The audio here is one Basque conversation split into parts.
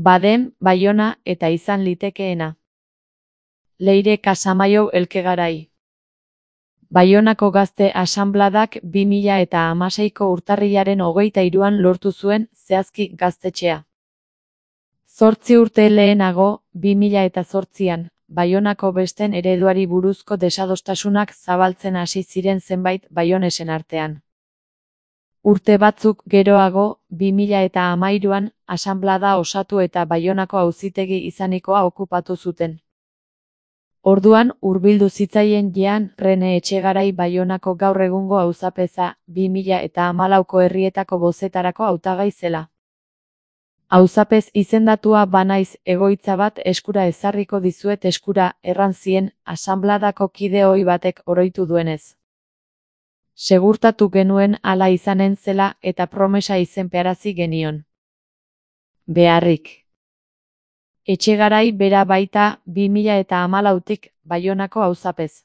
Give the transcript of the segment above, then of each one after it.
Badem, Baiona eta izan litekeena. Leire Kasamaio Elkegarai. Baionako Gazte Asanbladak 2016ko urtarrilaren 23an lortu zuen zehazki gaztetxea. 8 urte lehenago, 2008an, Baionako besten ereduari buruzko desadostasunak zabaltzen hasi ziren zenbait baionesen artean. Urte batzuk geroago, 2013an, asanblada osatu eta Baionako auzitegi izanikoa okupatu zuten. Orduan, hurbildu zitzaien Jean Rene Etxegarai Baionako gaur egungo auzapeza, 2014ko herrietako bozetarako hautagai zela. Auzapez izendatua banaiz, egoitza bat eskura ezarriko dizuet eskura, erran zien, asanbladako kide ohi batek oroitu duenez. Segurtatu genuen hala izanen zela eta promesa izenpearazi genion. Beharrik. Etxegarai bera baita 2014tik Baionako auzapez.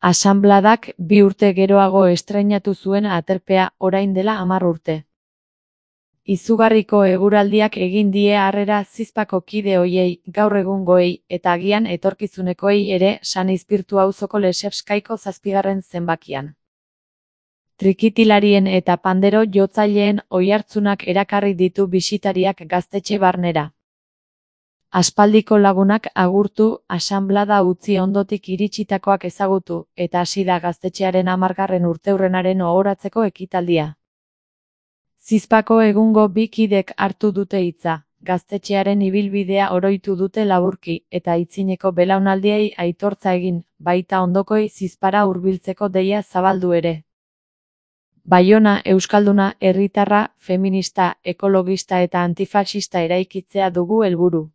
Asanbladak 2 urte geroago estreinatu zuen aterpea orain dela 10 urte. Izugarriko eguraldiak egin die harrera zizpako kide hoiei, gaur egungoei, eta agian etorkizunekoei ere San Izpirtu auzoko Lesebskaiko 7. zenbakian. Trikitilarien eta pandero jotzaileen oihartzunak erakarri ditu bisitariak gaztetxe barnera. Aspaldiko lagunak agurtu, asanblada utzi ondotik iritsitakoak ezagutu, eta hasi da gaztetxearen 10. urteurrenaren ohoratzeko ekitaldia. Zizpako egungo 2 kidek hartu dute hitza, gaztetxearen ibilbidea oroitu dute laburki, eta aitzineko belaunaldiei aitortza egin, baita ondokoi Zizpara hurbiltzeko deia zabaldu ere. Baiona euskalduna, herritarra, feminista, ekologista eta antifaxista eraikitzea dugu helburu.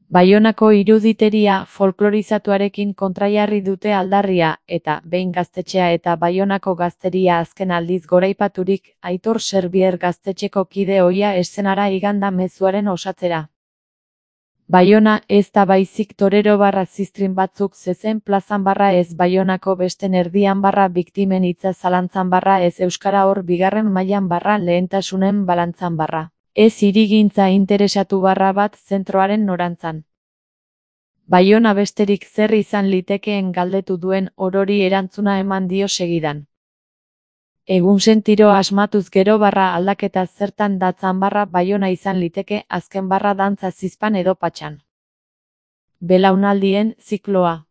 Baionako iruditeria folklorizatuarekin kontrajarri dute aldarria, eta behin gaztetxea eta Baionako gazteria azken aldiz goraipaturik, Aitor Serbier gaztetxeko kide ohia eszenara iganda mezuaren osatzera. Baiona ez da baizik torero barra ziztrin batzuk zezen plazan barra ez Baionako besten erdian barra biktimen hitza zalantzan barra ez euskara hor 2. mailan barra lehentasunen balantzan barra. Ez hirigintza interesatu barra bat zentroaren norantzan. Baiona besterik zer izan litekeen galdetu duen orori erantzuna eman dio segidan. Egunsentiro asmatuz gero barra aldaketa zertan datzan barra Baiona izan liteke azken barra dantza Zizpan edo Patxan. Belaunaldien zikloa.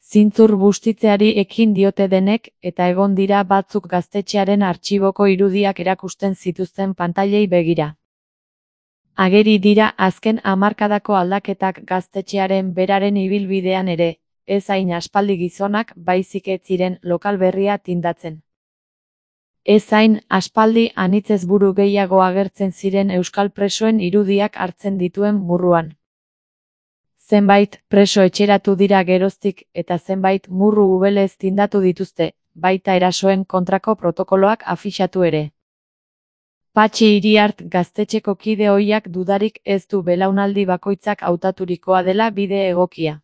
Zintzur bustitzeari ekin diote denek, eta egon dira batzuk gaztetxearen artxiboko irudiak erakusten zituzten pantailei begira. Ageri dira azken hamarkadako aldaketak gaztetxearen beraren ibilbidean ere, ez hain aspaldi gizonak baizik ez ziren lokal berria tindatzen. Ez hain aspaldi anitzez buru gehiago agertzen ziren euskal presoen irudiak hartzen dituen murruan. Zenbait preso etxeratu dira geroztik eta zenbait murru ubelez tindatu dituzte, baita erasoen kontrako protokoloak afixatu ere. Patxi Iriart gaztetxeko kide ohiak dudarik ez du belaunaldi bakoitzak hautaturikoa dela bide egokia.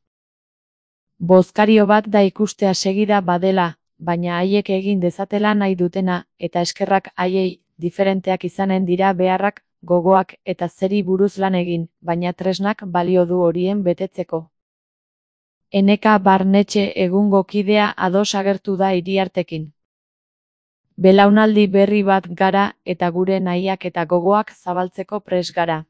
Bozkario bat da ikustea segida badela, baina haiek egin dezatela nahi dutena, eta eskerrak haiei, diferenteak izanen dira beharrak, gogoak eta zeri buruz lan egin, baina tresnak balio du horien betetzeko. Eneka Barnetxe egungo kidea ados agertu da Iriartekin. Belaunaldi berri bat gara eta gure nahiak eta gogoak zabaltzeko pres gara.